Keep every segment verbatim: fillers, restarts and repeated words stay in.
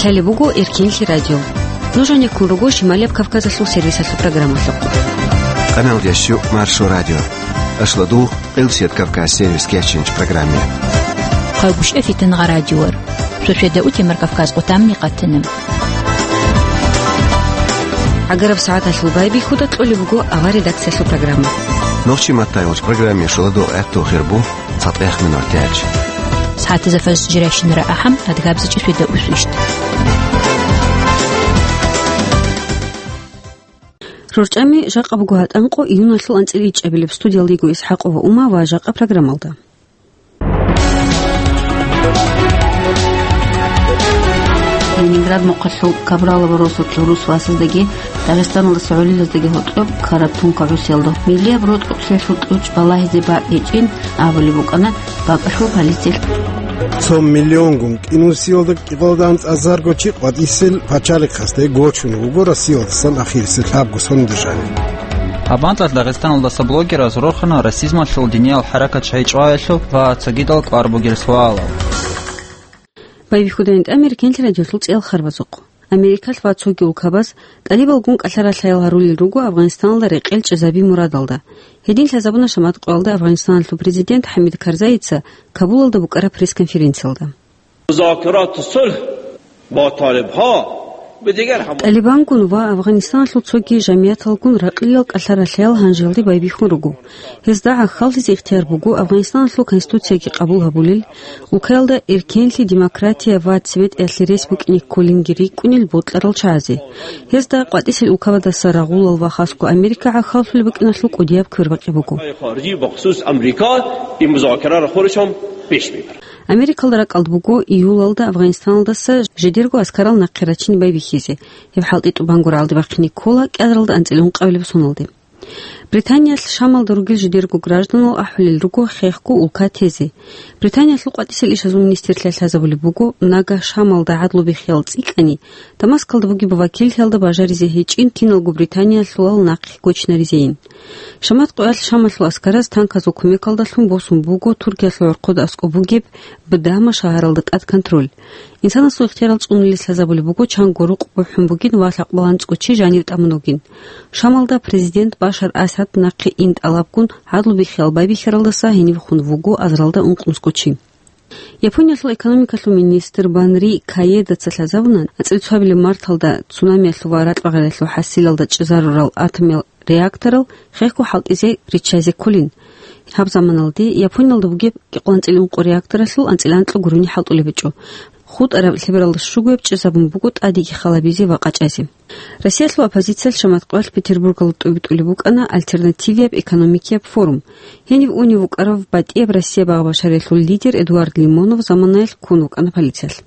Гьале буго Эркенлъи радио. Нуж гьанеккун руго Шималияб Кавказалъул сервисалъул программалъухъ. Къаналдящу Маршо радио. Ашладу Къилсият Кавказ сервис кечинч программе. Хъагушев Фитангъа радиор. Сосведа утемар Кавказ къутамни къатана. ГӀагараб сагӀаталъул байбихьуда кьолеб буго авар редакциялъул программа. Нохчи маттайолч программе шуладу гӀерту хирбу цатӀех минутач. СагӀатазда фаз жиращинара ахӀам адгабзачӀи сосведа усвищ. РорчӀами жакъа буго гьатӀанкъо июналъул анцӀила ичӀабилеб. Студиялда йиго ИсхӀакъова Ума ва жакъа программалда. Ленинград мухъалъул Кабралова росулъ гӀурус васаздаги Дагъистаналдаса гӀолилаздаги гьоркьоб ккараб тункагӀусиялда миллияб рокьукълъиялъул тӀучӀ балагьизе бакӀ гьечӀин абулеб букӀана бакӀалъул полициялъ. Цо миллионгун кӀинусиялда кӀикъоялда анцӀазарго чи къватӀисел пачалихъасде гочун вуго Россиялдасан ахирисел лъабго сондержание. Гьаб мацӀалъ Дагъистаналдаса блогераз рорхана расизмалъул диниял хӀаракат шайчӀваялъул ва цогидал кӀвар бугел суалал. Байбихьуда гьанже Эркенлъи радиолъул цӀеял харбазухъ. Америкалъ ва цоги улкабаз тӀалибалгун кӀалъа-ралъаял гьарулел руго Афгъанистаналда рекъел чӀезаби мурадалда. Гьедин лъазабуна шамат къоялда Афгъанистаналъул президент ХӀамид Карзайица Кабулалда букӀараб пресс-конференциялда. مذاكرات الصلح با طالب‌ها به دیگر هم. ТӀалибангун ва Афгъанистаналъул цоги жамияталгун ракълиял кӀалъа-ралъаял гьанжелде байбихьун руго. Гьезда гӀахьаллъизе ихтияр буго Афгъанистаналъул конституцияги къабул гьабулел, улкаялда эркенлъи, демократия ва цебетӀеялъе рес букӀине кколинги рикӀкӀунел бокьарал чагӀазе. Гьезда къватӀисел улкабаздаса рагъулал ва хасго Америка гӀахьаллъулеб букӀиналъул кӀудияб квербакъи буго. خارجی بخصوص امریکا این مذاکره را خودشان پیش می‌برد. Америкалда ракӀалда буго июлалда Афгъанистаналдаса жидерго аскарал нахъе рачине байбихьизе. Гьеб хӀалтӀи тӀубанго рагӀалде бахъине ккола кӀиабилеб анцӀила ункъабилеб соналде. Британиялъ Шамалда ругел жидерго гражданал ахӀулел руго хехго улка тезе. Британиялъул къватӀисел ишазул министрлъиялъ лъазабулеб буго, нагагь Шамалда гӀадлу биххиял цӀикӀкӀани, Дамаскалда бугеб вакиллъиялда бажаризе гьечӀин киналго британиялъулал нахъе гочинаризейин. Шамат къоялъ Шамалъул аскараз танказул кумекалдалъун босун буго Туркиялъул гӀорхъода аскӀоб бугеб Бдама шагьаралда тӀад контроль. Инсанасул ихтиярал цӀунулес лъазабулеб буго чанго рукъ бухӀун бугин ва лъакъбалан цӀкӀо чи жанив тӀамун вугин. Шамалда президент Башар Асад нахъе ин тӀалабгун гӀадлу биххиял байбихьаралдаса гьенив хун вуго азаралда ункънусго чи. Япониялъул экономикалъул министр Банри Каедаца лъазабуна, анцӀила цоабилеб марталда цунамиялъул ва ракьбагъиялъул хӀасилалда чӀезарурал атомиял реакторал хехго хӀалтӀизе риччазе кколин. Гьаб заманалде Япониялда бугеб кӀикъоялда анцӀила ункъо реакторалъул анцӀила анкьго гурони хӀалтӀулеб гьечӀо. ХутӀараб лъебералда щугояб чӀезабун буго тӀадеги халабизе ва къачӀазе. Россиялъул оппозициялъ шамат къоялъ Петербургалда тӀобитӀулеб букӀана альтернативияб экономикияб форум. Гьениб унев вукӀарав батӀияб Россия багъа-башариялъул лидер Эдуард Лимонов заманаялъ ккун вукӀана полициялъ.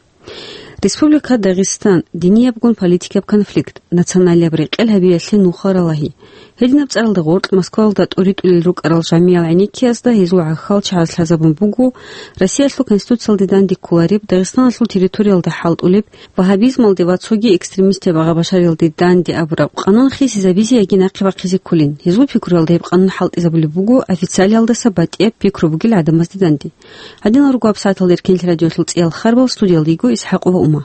Республика Дагъистан, диниябгун политикаб конфликт, националияб рекъел гьабиялъе нуха ралагьи. Гьединаб цӀаралда гъоркь Москваялда тӀоритӀулел рукӀарал жамиял гӀенеккиязда гьезул гӀахьал чагӀаз лъазабун буго Россиялъул Конституциялде данде кколареб, Дагъистаналъул территориялда хӀалтӀулеб, вагьабизмалде ва цоги экстремистаб багъа-башариялде данде абураб къанун хисизабизе яги нахъе бахъизе кколин. Гьезул пикруялда гьеб къанун хӀалтӀизабулеб буго официалиялдаса батӀияб пикру бугел гӀадамазде данде. Гьадинал руго гьаб сагӀаталда Эркенлъи радиолъул цӀеял харбал, студиялда йиго ИсхӀакъова Ума.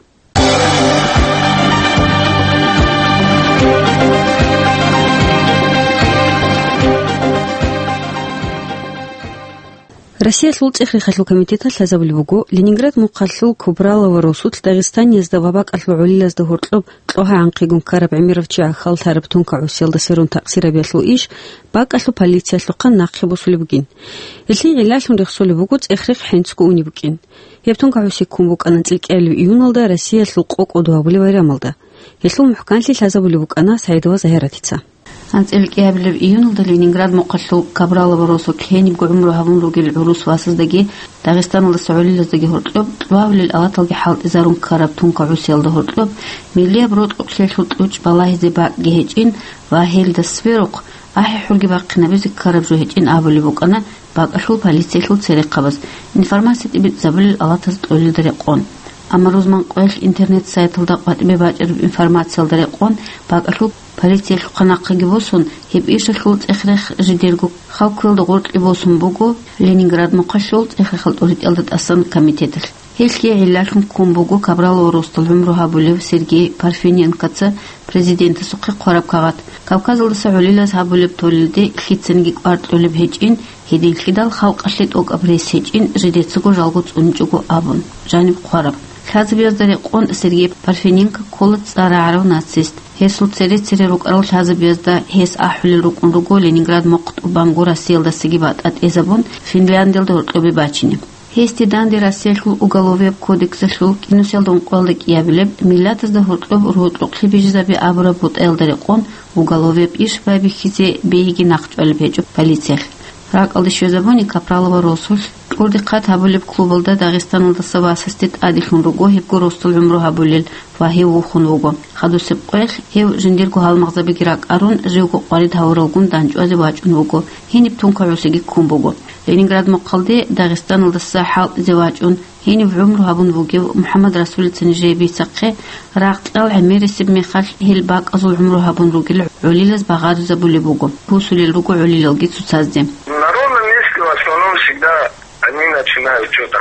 Россиялъул цӀех-рехалъул комитеталъ лъазабулеб буго, Ленинград мухъалъул Кубралова росулъ Дагъистаниязда ва бакӀалъул гӀолилазда гьоркьоб кьогьа-гӀанхъигун ккараб гӀемерав чи гӀахьаллъараб тункагӀусиялда сверун такъсирабиялъул иш бакӀалъул полициялъухъан нахъе босулеб бугин. Гьелъие гӀиллалъун рехсолеб буго цӀех-рехъ хӀинцго унеб букӀин. Гьеб тункагӀуси ккун букӀана анцӀила кӀиабилеб июналда Россиялъул къо-къо дугьабулеб байрамалда. Гьелъул мухӀканлъи лъазабулеб букӀана СагӀидова Загьиратица. АнцӀила кӀиабилеб июналда Ленинград мухъалъул Кабралова росулъ гьенибго гӀумру гьабун ругел гӀурус васаздаги Дагъистаналдаса гӀолилаздаги гьоркьоб кьвавлил алаталги хӀалтӀизарун ккараб тункагӀусиялда гьоркьоб миллияб рокьукълъиялъул тӀучӀ балагьизе бакӀги гьечӀин ва гьелда сверухъ ахӀи-хӀурги бахъинабизе ккараб жо гьечӀин абулеб букӀана бакӀалъул полициялъул церехъабаз, информация тӀибитӀизабулел алатаз кьолелда рекъон. Амма рузман къоялъ интернет-сайталда къватӀибе бачӀараб информациялда рекъон бакӀалъул Россиялъухъа нахъеги босун, гьеб ишалъул цӀех-рех жидерго халкуялда гъоркье босун буго Ленинград мухъалъул цӀех-рехал тӀуритӀиялда тӀасан комитеталъ. Гьелъие гӀиллалъун ккун буго Капралова росдал гӀумру гьабулев Сергей Парфененкоца президентасухъе хъвараб кагъат. Кавказалдаса гӀолилаз гьабулеб толелде лъицаниги кӀвар кьолеб гьечӀин, гьединлъидал халкъалъе тӀокӀаб рес гьечӀин, жидецаго жалго цӀуничӀого абун, жаниб хъвараб. Лъазабиязда рекъон Сергей Парфененко ккола цӀар рагӀарав нацист. Гьесул цере-цере рукӀарал лъазабиязда гьес ахӀулел рукӀун руго Ленинград мухъ тӀубанго Россиялдасаги батӀа тӀезабун, Финляндиялда гьоркьобе бачине. Гьесде данде Россиялъул Уголовияб кодексалъул кӀинусиялда ункъоялда кӀиабилеб, миллатазда гьоркьоб рокьукълъи бижизаби абураб бутӀаялда рекъон, уголовияб иш байбихьизе бегьиги нахъчӀвалеб гьечӀо полициялъ. РакӀалде щвезабуни Капралова росулъ, тӀурдихъад гьабулеб клубалда Дагъистаналдаса васасде тӀаделъун руго гьебго росдал гӀумру гьабулел ва гьев вухун вуго. Хадусеб къоялъ гьев жиндирго гьалмагъзабиги ракӀарун, живго къварид гьавуралгун дандчӀвазе вачӀун вуго, гьениб тункагӀусиги ккун буго. Ленинград мухъалде Дагъистаналдаса хӀалтӀизе вачӀун, гьенив гӀумру гьабун вугев МухӀаммад Расулица нижее бицахъе, рагъ-кьал гӀемерисеб мехалъ гьел бакӀазул гӀумру гьабун ругел гӀолилаз багъаризабулеб буго, бусулел руго гӀолилалги цоцазде. На ровном месте в основном всегда они начинают что-то.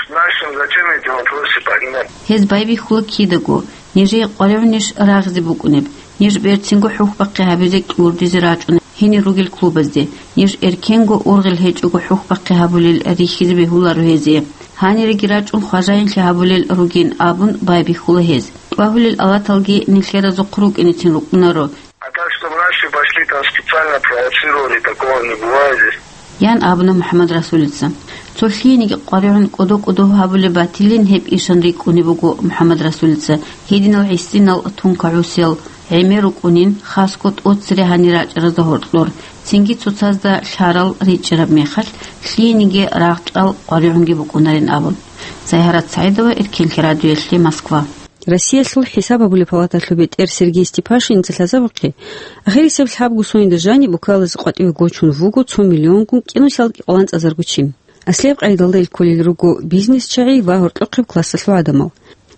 Знаешь, зачем эти вопросы поднимать? Гьез байбихьула кидаго, нижее къваригӀунищ рагъизе букӀунеб, ниж берцинго хӀухьбахъи гьабизе кьурдизе рачӀунеб гьенир ругел клубазде, ниж эркенго ургъел гьечӀого хӀухьбахъи гьабулел рихьизе бегьуларо гьезие. Гьаниреги рачӀун хважаинлъи гьабулел ругин абун байбихьула гьез. ТӀубагьулел алаталги нилъеразухъ рукӀинецин рукӀунаро. А так, чтоб наши пошли там специально провоцировали, такого не бывает здесь. Ян абуна МухӀаммад Расулица. Цо лъиениги къваригӀун кӀодо-кӀодо гьабулеб батилин гьеб ишан рикӀкӀунеб буго МухӀаммад Расулица, гьединал гӀисинал тункагӀусиял гӀемер рукӀунин, хасго тӀоцере гьанир рачӀаразда гьоркьор, цинги цоцазда лъарал ричӀчӀараб мехалъ, лъиениги рагъ-кьал къваригӀунги букӀунарин абун. Сайгьарат СагӀидова, Эркенлъи радиоялъе, Москва. Россиялъул хӀисаб гьабулеб палаталъул бетӀер Сергей Степашинца лъазабухъе, ахирисеб лъабго соналда жаниб улкалазе къватӀиве гочун вуго цо миллионгун кӀинусиялда кӀикъоялда анцӀазарго чи. Аслияб къайдалда ил кколел руго бизнес-чагӀи ва гьоркьохъеб классалъул гӀадамал.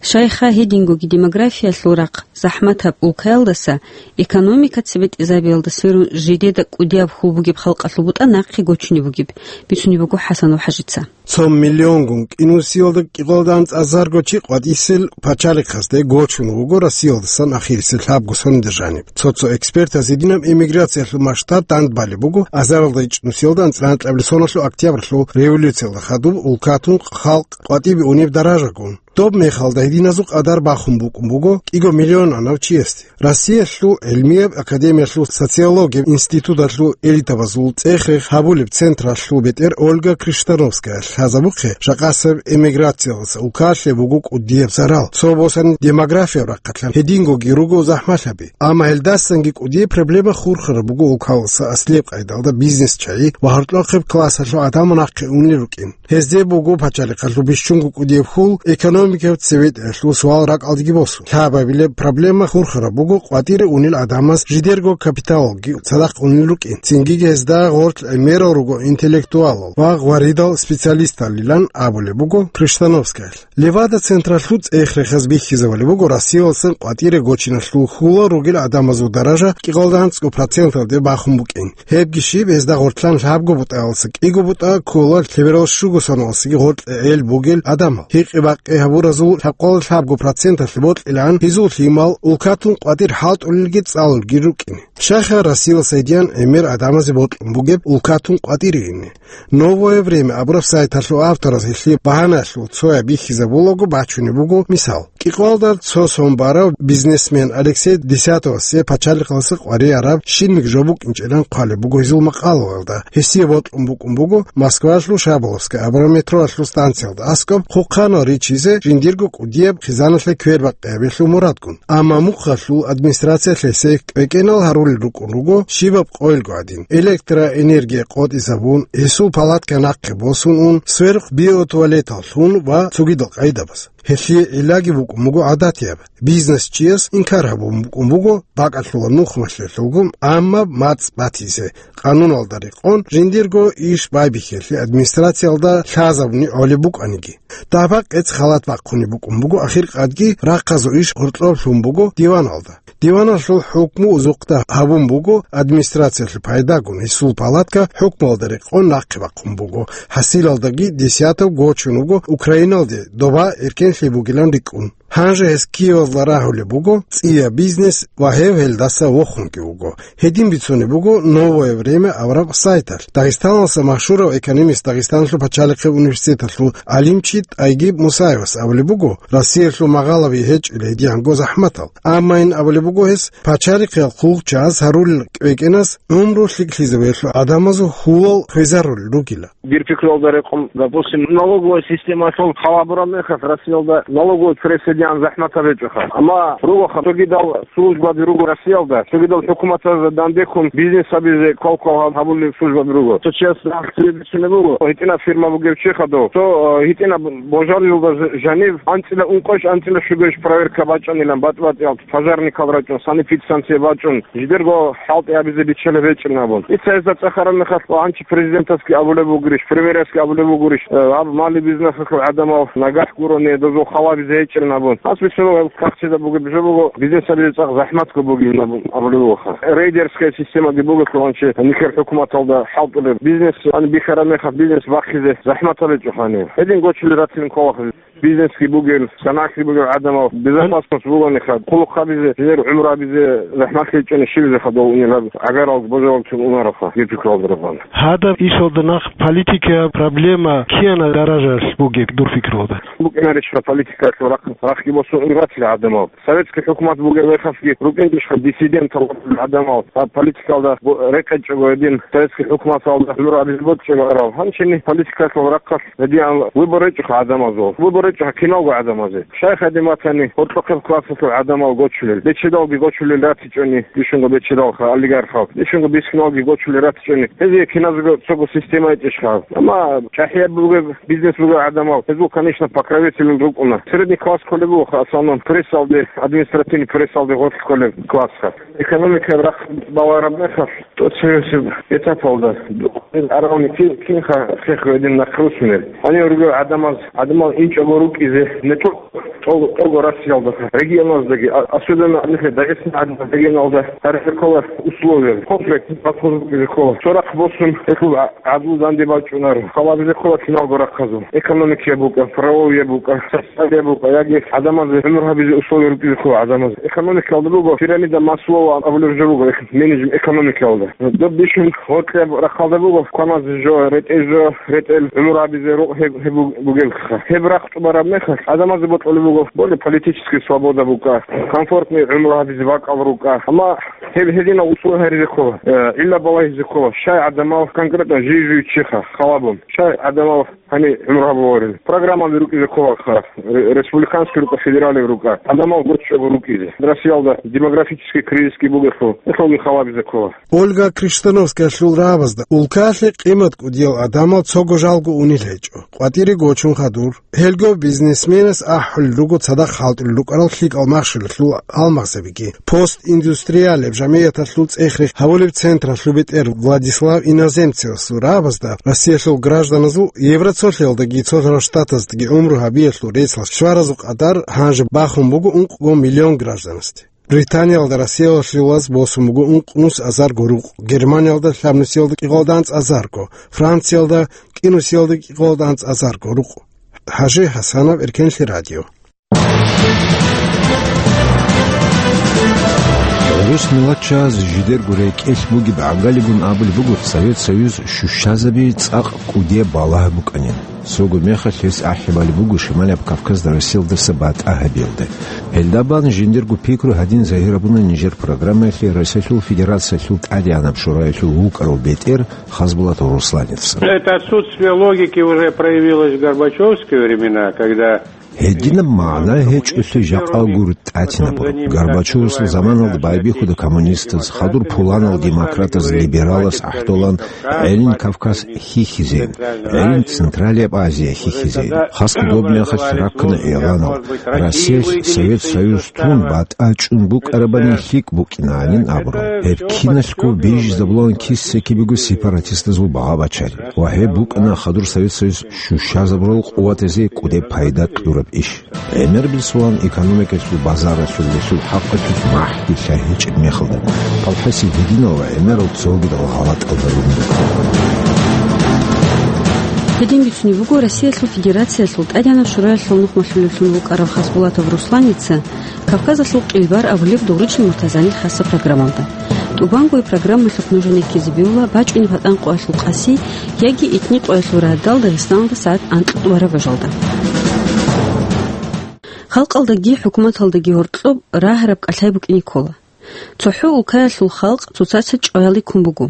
Щайха гьедингоги демографиялъул рахъ захӀматаб улкаялдаса экономика цебетӀезабиялда сверун жидеда кӀудияб хьул бугеб халкъалъул бутӀа нахъе гочунеб бугеб, бицунеб буго ХӀасанов ХӀажица. Цо миллионгун кӀинусиялда кӀикъоялда анцӀазарго чи къватӀисел пачалихъасде гочун вуго Россиялдасан ахирисел лъабго соналда жаниб. Цо-цо экспертаз гьединаб эмиграциялъул масштаб дандбалеб буго азаралда ичӀнусиялда анцӀила анкьабилеб соналъул октябрьлъул революциялда хадуб улкатун халкъ къватӀибе унеб даражагун. Доб мехалда гьединазул къадар бахун букӀун буго кӀиго миллионанав чиясде. Россиялъул гӀилмияб академиялъул социологияб институталъул элитабазул цӀех-рех гьабулеб централъул бетӀер Ольга Криштановская лъазабухъе, жакъасеб эмиграциялдаса улкалъе буго кӀудияб зарал. Цо босани демографияб рахъалъан гьедингоги руго захӀмалъаби. Амма гьелдасанги кӀудияб проблема хурхараб буго улкалдаса аслияб къайдалда бизнес-чагӀи ва гьоркьохъеб классалъул гӀадамал нахъе унел рукӀин. Гьезде буго пачалихъалъул бищунго кӀудияб хьул, экономикаб цебетӀеялъул суал ракӀалдеги босун. Лъабабилеб проблема хурхараб буго къватӀире унел гӀадамаз жидерго капиталалги цадахъ унел рукӀин. Цинги гьезда гъорлъ гӀемерал руго интеллектуалал ва гъваридал специалисталилан абулеб буго Криштановскаялъ. Левада-централъул цӀех-рехаз бихьизабулеб буго Россиялдасан къватӀире гочиналъул хьулал ругел гӀадамазул даража кӀикъоялда анцӀго проценталде бахун букӀин. Гьебги щиб, гьезда гъорлъан лъабго бутӀаялдаса кӀиго бутӀа ккола лъеберал щуго соналдасаги гъоркье гӀел бугел гӀадамал. Гьикъи-бакъи гьабуразул лъабкъоялда лъабго проценталъе бокьилаан гьезул лъимал, улкатун къватӀир хӀалтӀулелги цӀалулги рукӀине. Щайха Россиялдаса гьедин гӀемер гӀадамазе бокьун бугеб улкатун къватӀире ине? «Новое время» абураб сайталъул автораз гьелъие багьаналъул цояб бихьизабулаго бачунеб буго мисал. КӀикъоялда цо сон барав бизнесмен Алексей Десятовасе пачалихъалдаса къваригӀараб щибниги жо букӀинчӀилан хъвалеб буго гьезул макъалаялда. Гьесие бокьун букӀун буго Москваялъул Шаболовская абураб метроялъул станциялда аскӀоб хъухъанал ричизе жиндирго кӀудияб хъизаналъе квербакъиабилъул мурадгун. Амма мухъалъул администрациялъ гьесие кӀвекӀенал гьарулел рукӀун руго щибаб къойилго гӀадин: электроэнергия къотӀизабун, гьесул палатка нахъе босун ун, сверухъ биотуалетал лъун ва цогидал къайдабаз. Гьелъие гӀиллаги букӀун буго гӀадатияб. Бизнесчияс инкар гьабун букӀун буго бакӀалъула нухмалъулъулгун гӀаммаб мацӀ батизе, къануналда рекъон жиндирго иш байбихьелъи администрациялда лъазабуни гӀолеб букӀаниги. Дагьаб-къец халат бахъунеб букӀун буго, ахиркъадги рахъазул иш гъоркьоб лъун буго диваналда. Диваналъул хӀукму узухъда гьабун буго администрациялъул пайдагун, гьесул палатка хӀукмуялда рекъон нахъе бахъун буго, хӀасилалдаги десятав гочун вуго Украиналде доба эркенлъи бугилан рикӀкӀун. Гьанже гьес Киевалда рагьулеб буго цӀияб бизнес ва гьев гьелдаса вохунги вуго. Гьедин бицунеб буго «Новое время» авараг сайталъ. Дагъистаналъа машгьурав экономист, Дагъистаналъул пачалихъе университеталъул гӀалимчи ТӀайгиб Мусаевас абулеб буго, Россиялъул магъалаби гьечӀила гьедигӀанго захӀматал. Амма ин абулеб буго гьес, пачалихъиял хъулухъчагӀаз гьарулел кӀвекӀенас гӀумру лъикӀлъизабиялъул гӀадамазул хьулал хвезарулел ругила. Дир пикруялда рекъон, допустим, налоговая системалъул хал гьабураб мехалъ, Россиялда налоговый прессадигӀан захӀматаб гьечӀоха. Амма ругоха, цогидал службаби руго Россиялда, цогидал хӀукуматазда данде ккун бизнес гьабизе квал-квал гьабулел службаби руго. Цо чияс рахъ цебе бицунеб буго, гьитӀинаб фирма бугев чи хадув. Цо, э, гьитӀинаб божарилда ж-, жанив анцӀила ункъош, анцӀила щугош проверка бачӀанилан, батӀ-батӀиял пожарникал рачӀун, санэпидстанция бачӀун, жидерго хӀалтӀи гьабизе биччалеб гьечӀин абун. Дица гьезда цӀехараб мехалъ, гьанчи президентасги абулеб бугурищ, премьерасги абулеб бугурищ, э, гьаб мали-бизнесалъул гӀадамал нагагь гурони, дозул хал гьабизе гьечӀин абун. Гьас бицунеб гьел кагътида бугеб жо буго, бизнес гьабизе цӀакъ захӀматго бугилан абун абулеб бугоха. Рейдерская системаги буго, лъугьанчи нилъер хӀукуматалда хӀалтӀулеб бизнес, ан бихьараб мехалъ бизнес бахъизе захӀматал гьечӀохани. Гьедин гочулел ратилин кколаха. Бизнесги бугел, санагӀги бугел гӀадамал безопасность бугониха, хъулухъ гьабизе, жидер гӀумру гьабизе захӀмат гьечӀони, щибизеха дов унел гьаб гӀагаралги божаралги чун унароха, дир пикруялда рекъон. Гьадаб ишалда нахъ политикаяб проблема кианаб даражалъ бугеб дур пикруялда? БукӀинарищха политикалъул рахъ, рахъги босун унел ратила гӀадамал. Советский хӀукумат бугеб мехалъги рукӀиндищха диссидентал гӀадамал, гьаб политикалда бо-, рекъечӀого гьедин, советский хӀукуматалда гӀумру гьабизе бокьчӀого арал. Гьанчини политикалъул рахъалъ гьедигӀан выбор гьечӀоха гӀадамазул. Выбор гьечӀоха киналго гӀадамазе. Щай гьадин батани, гьоркьохъеб классалъул гӀадамал гочулел, бечедалги гочулел ратичӀони, бищунго бечедалха, олигархал, бищунго бискиналги гочулел ратичӀони. Гьезие киназего цого система гьечӀищха. Амма чӀахӀияб бугеб, бизнес бугел гӀадамал, гьезул, конечно, покровитель рукӀуна. Средний класс кколеб бугоха, в основном, прессалде, административный прессалде гъорлъ кколеб классха. Экономикаяб рахъ балараб мехалъ, тӀоцевесеб этапалда, аравни кин, кинха хехго гьедин нахъ русунел. Гьанив ругел гӀадамаз, гӀадамал инчӀого рукӀизе, не тӀо-, тӀо-, тӀого Россиялда, регионаздаги, а-, особенно нилъер Дагъистан гӀадин регионалда гьарилъе ккола условия, комплексный подход букӀизе ккола. Цо рахъ босун, гьелъул гӀа-, гӀадлу данде бачӀунар, хал гьабизе ккола киналго рахъазул. Экономикаяб букӀа, правовияб букӀа, социалияб букӀа, яги гӀадамазе гӀумру гьабизе условия рукӀизе ккола гӀадамазе. Экономикалда буго пирамида Маслоу абулеб жо буго, эк-, менеджмент экономикалда. Доб бищун гьоркьоб рахъалда буго кваназе жо, ретӀел жо, ретӀел гӀумру гьабизе рукъ гьеб, гьеб буг-, бугелха. Гьеб рахъ тӀубараб мехалъ гӀадамазе бокьулеб буго, более политический свобода букӀа, комфортный гӀумру гьабизе бакӀал рукӀа. Амма гьеб гьединал условия гьаризе ккола, э, гӀилла балагьизе ккола, щай гӀадамал конкретно жий-жуй чиха халабун, щай гӀадамал гьанив гӀумру гьабуларел. Программаби рукӀизе кколаха, ре-, республиканский рукӀа, федералив рукӀа, гӀадамал гоччого рукӀизе. Россиялда демографический кризисги бугелъул, гьелъулги халабизе ккола. Ольга Криштановскаялъул рагӀабазда улкалъе къимат кӀудиял гӀадамал цого жалго унел гьечӀо, къватӀире гочун хадур. Гьелго бизнесменас ахӀулел руго цадахъ хӀалтӀулел рукӀарал лъикӀал махщелалъул гьалмагъзабиги. «Постиндустриалеб» жамигӀяталъул цӀех-рех гьабулеб централъул бетӀер Владислав Иноземцевасул рагӀабазда Россиялъул гражданазул Евроцолъиялдаги Цолъарал Штатаздаги гӀумру гьабиялъул рецц щваразул къадар гьанже бахун буго ункъго миллион гражданасде. Британиялда Россиялалъулаз босун буго ункънус азарго рукъ, Германиялда лъабнусиялда кӀикъоялда анцӀазарго, Франциялда кӀинусиялда кӀикъоялда анцӀазарго рукъ. ХӀажи ХӀасанов, Эркенлъи радио. ГӀурус миллатчияз жидерго рекӀелъ бугеб гӀагалигун абулеб буго Совет Союз щущазаби цӀакъ кӀудияб балагь букӀанин. Цого мехалъ гьес ахӀи балеб буго Шималияб Кавказда Россиялдаса батӀа гьабиялда. Гьелда бан жиндирго пикру гьадин загьир гьабуна нижер программаялъе Россиялъул Федерациялъул ТӀадегӀанаб Шораялъул вукӀарав бетӀер Хасбулатов Русланецан. Это отсутствие логики уже проявилось в Горбачевские времена, когда Гьединаб магӀна гьечӀолъи жакъа гур тӀатинабураб. Горбачевасул заманалда байбихьуда коммунистаз, хадур пуланал демократаз, либералаз гӀахӀдолан гӀелин Кавказ хьихьизейин, гӀелин Централияб Азия хьихьизейин. Хасго доб мехалъ раккана игӀланал, Россиялъ Совет Союз тун батӀа чӀун букӀарабани лъикӀ букӀинанин абураб. Гьеб киналъго бижизабулан киса-кибего сепаратистазул багъа-бачари. Ва гьеб букӀана хадур Совет Союз щущазабурал къуватазе кӀудеб пайда кьураб иш. ГӀемер бицунеб экономикалъул базаралъул гьелъул хӀакъалъулъ махӀги лъай гьечӀеб мехалда, ТӀалхӀаси гьединал ва гӀемерал цогидал гъалатӀалда ругин. Гьедин бицунеб буго Россиялъул Федерациялъул ТӀадегӀанаб Шураялъул нухмалъулевлъун вукӀарав Хасбулатов Русланица Кавказалъул къилбар абулеб Дугъручил Муртазанил хасаб программалда. ТӀубанго программалъухъ нужеда ккезе бегьула бачӀунеб гьатӀан къоялъул къаси яги итни къоялъул радал Дагъистаналда сагӀат анкьаб тӀубараб бажалда. Халкъалдаги хӀукуматалдаги гьоркьоб рагьараб кӀалъай букӀине ккола. ЦохӀо улкаялъул халкъ цоцаца чӀваялде ккун буго.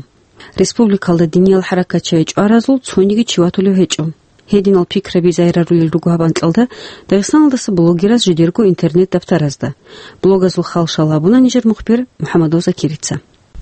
Республикалда диниял хӀаракатчагӀи чӀваразул цониги чи ватулев гьечӀо. Гьединал пикраби загьирарулел руго гьаб анкьалда Дагъистаналдаса блогераз жидерго интернет-даптаразда. Блогазул хал-шал гьабуна нижер мухбир МухӀаммадов Закирица.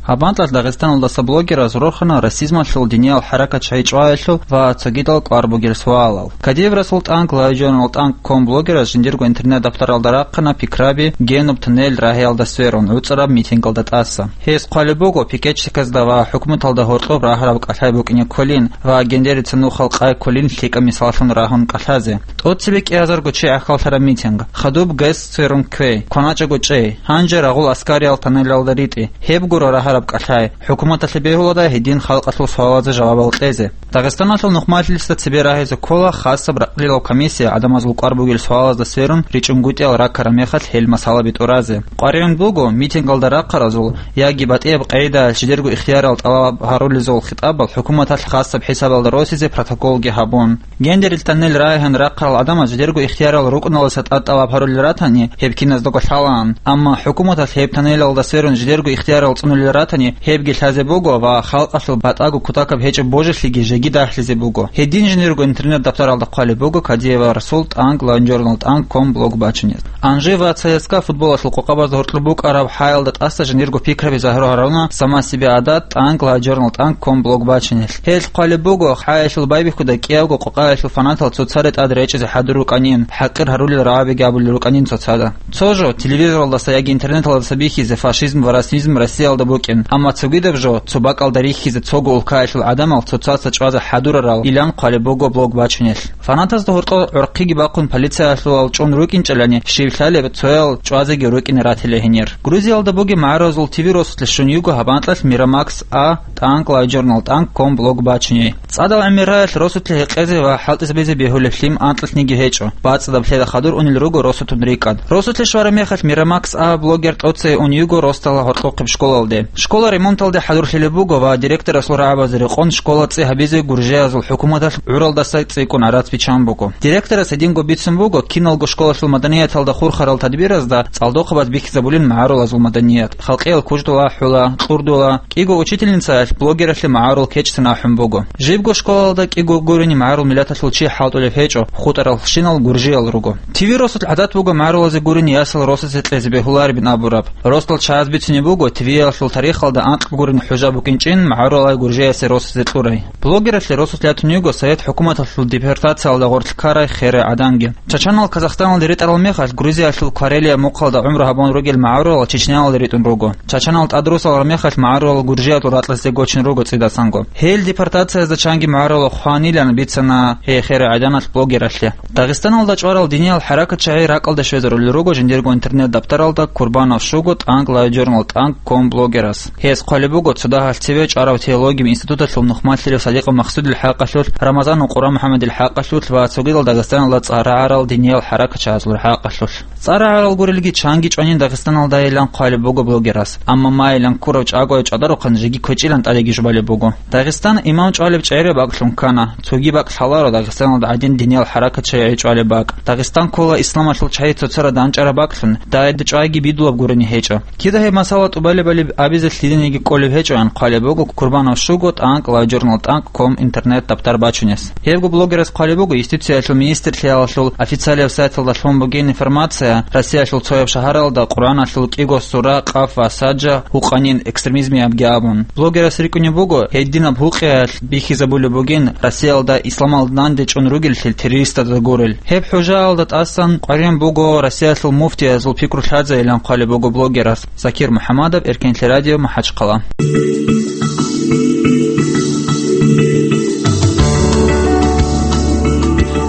Гьаб анкьалъ Дагъистаналдаса блогераз рорхана расизмалъул, диниял хӀаракатчагӀи чӀваялъул ва цогидал кӀвар бугел суалал. Кадиев Расул тӀанкӀ, LiveJournal тӀанкӀ ком блогераз жиндирго интернет-даптаралда рахъана пикраби генуб туннел рагьиялда сверун гӀуцӀараб митингалда тӀаса. Гьес хъвалеб буго пикетчиказда ва хӀукуматалда гьоркьоб рагьараб кӀалъай букӀине кколин ва гендерица нухал къай кколин лъикӀаб мисаллъун рагьун кӀалъазе. ТӀоцебе кӀиазарго чи гӀахьаллъараб митинг. Хадуб ГЭС сверун кквей, кваначӀого чӀей. Гьанже рагъул аскариялъ туннелалда ритӀе. Гьеб гуро рагьараб кӀалъай. ХӀукуматалъе бегьула гьедин халкъалъул суалазе жавабал кьезе. Дагъистаналъул нухмалъилисда цебе рагьизе ккола хасаб ракълилал комиссия гӀадамазул кӀвар бугел суалазда сверун ричӀунгутӀиял раккараб мехалъ гьел масъалаби тӀуразе. КъваригӀун буго митингалда рахъаразул яги батӀияб къагӀидаялъ жидерго ихтиярал тӀалаб гьарулезул хитӀабал хӀукуматалъ хасаб хӀисабалда росизе протоколги гьабун. Гендерил туннел рагьун рахъарал гӀадамаз жидерго ихтиярал рукӀуналдаса тӀад тӀалаб гьарулел ратани, гьеб киназдаго лъалаан. Амма хӀукуматалъ гьеб туннелалда сверун жидерго ихтиярал цӀунулел ратани, гьебги лъазе буго ва халкъалъул батӀаго кутакаб гьечӀеб божилъиги жеги дагьлъизе буго. Гьедин жиндирго интернет-даптаралда хъвалеб буго Кадиева Расул тӀанкӀ, LiveJournal тӀанкӀ ком блог бачунел. Анжи ва ЦСКА футболалъул къокъабазда гьоркьоб букӀараб хӀаялда тӀаса жиндирго пикраби загьир гьаруна Сама себе адат тӀанкӀ, LiveJournal тӀанкӀ ком блог бачунел. Гьелъ хъвалеб буго, хӀаялъул байбихьуда кӀиявго къокъаялъул фанатал цоцаде тӀад речӀизе хӀадур рукӀанин, хӀакъир гьарулел рагӀабиги абулел рукӀанин цоцада. Цо жо, телевизоралдаса яги интернеталдаса бихьизе фашизм ва расизм Россиялда букӀин, амма цогидаб жо, цо бакӀалда рихьизе цого улкаялъул гӀадамал цоцаца чӀвазе хӀадурарал илан хъвалеб буго блог бачунел. Фанатазда гьоркьор гӀорхъиги бахъун полициялъул чӀун рукӀинчӀелани, щив лъалеб, цоял чӀвазеги рукӀине ратила гьенир. Грузиялда бугеб магӀарулазул ТВ росулъе щун йиго гьаб анкьалъ Miramax A тӀанкӀ, LiveJournal тӀанкӀ ком блог бачуней. ЦӀадал гӀемерраялъ росулъе гьекъезе ва хӀалтӀизабизе бегьулеб лъим анкьалъниги гьечӀо. БацӀцӀадаб лъеда хадур унел руго росутун рикӀкӀад. Росулъе щвараб мехалъ Miramax A блогер тӀоцей ун йиго росдала гьоркьохъеб школалде. Школа ремонталде хӀадурлъилеб буго ва директорасул рагӀабазе рекъон школа цӀи гьабизе гуржиязул хӀукуматалъ гӀуралдаса цӀикӀкӀун гӀарац биччан буго. Директорас гьединго бицун буго, киналго школалъул маданияталда хурхарал тадбиразда цӀалдохъабаз бихьизабулин магӀарулазул маданият, халкъиял куждул ахӀула, кьурдула, кӀиго учительницаялъ блогералъе магӀарул кечӀцин ахӀун буго. Жибго школалда кӀиго гурени магӀарул миллаталъул чи хӀалтӀулеб гьечӀо, хутӀаралщинал гуржиял руго. ТВ росулъ гӀадат буго магӀарулазе гурони ясал росазе кьезе бегьуларебин абураб. Росдал чагӀаз бицунеб буго, ТВ-ялъул тарихалда анкьаб гурин хӀужа букӀинчӀин магӀарулай гуржиясе росазе кьурай. Блогералъе росулъ ятун йиго Совет хӀукуматалъул депортациялда гъорлъ ккарай херай гӀаданги. Чачанал Казахстаналде ритӀарал мехалъ, Грузиялъул Карелия мухъалда гӀумру гьабун ругел магӀарулал Чечняялде ритӀун руго. Чачанал тӀадрусарал мехалъ магӀарулал гуржиялъул ракьалъе гочун руго цӀидасанго. Гьел депортациязда чанги магӀарулал хванилан бицана гьей херай гӀаданалъ блогералъе. Дагъистаналда чӀварал диниял хӀаракатчагӀи ракӀалде щвезарулел руго жиндирго интернет-даптаралда Курбанов Шуго тӀанкӀ, LiveJournal тӀанкӀ ком блогерас. Гьес хъвалеб буго, цо дагьалъ цеве чӀварав теологияб институталъул нухмалъилев Саликъа Максудил хӀакъалъулъ, Рамазанов Къуран МухӀаммадил хӀакъалъулъ ва цогидал Дагъистаналда цӀар рагӀарал диниял хӀаракатчагӀазул хӀакъалъулъ. ЦӀар рагӀарал гурелги чанги чӀванин Дагъистаналдайилан хъвалеб буго блогерас, амма майилан ккурав чӀагояв чӀвадарухъан жеги квечӀилан тӀадегижубалеб буго. Дагъистан имам чӀвалеб чӀере бакӀлъун ккана, цоги бакӀ лъаларо Дагъистаналда гӀадин диниял хӀаракат Качай гьечӀолеб бакӀ. Дагъистан ккола исламалъул чагьи цоцара данчӀараб бакӀлъун, дагьида чӀвайги бидулаб гурони гьечӀо. Кида гьеб масала тӀубалебали абизе лъидениги кколеб гьечӀоян хъвалеб буго Курбанов Шуго тӀанкӀ лавжурнал тӀанкӀ ком интернет-таптар бачунес. Гьебго блогерас хъвалеб буго, юстициялъул министрлъиялъул официалияб сайталда лъун бугин информация, Россиялъул цояб шагьаралда Къуръаналъул кӀиго сура, къаф ва саджа, гьукъанин экстремизмиябги абун. Блогерас рикӀкӀунеб буго, гьединаб гьукъиялъ бихьизабулеб бугин Россиялда исламалда нанде чӀун ругеллъи террористазда гурел. Гьеб хӀужаялда тӀасан къваригӀун буго Россиялъул муфтиязул пикру лъазайилан хъвалеб буго блогерас. Закир МухӀаммадов, Эркенлъи радио, МахӀачхъала.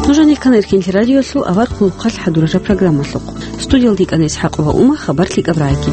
Нуж гьанир ккана Эркенлъи радиолъул авар хъулухъалъ хӀадуража программалъухъ. Студиялда йикӀана ИсхӀакъова Ума, хабар лъикӀаб рагӀи.